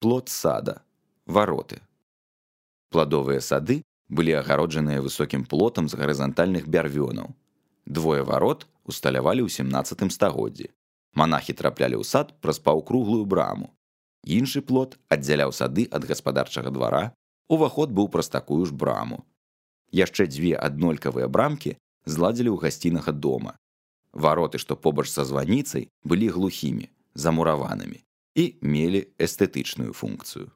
Плот сада. Вароты. Пладовыя сады былі агароджаныя высокім плотам з гарызантальных бярвёнаў. Двое варот усталявалі ў 17 стагоддзі. Манахі траплялі ў сад праз паўкруглую браму. Іншы плот аддзяляў сады ад гаспадарчага двара, уваход быў праз такую ж браму. Яшчэ дзве аднолькавыя брамкі зладзілі ў гасцінага дома. Вароты, што побач са званіцай, былі глухімі, замураванымі і мелі эстэтычную функцыю.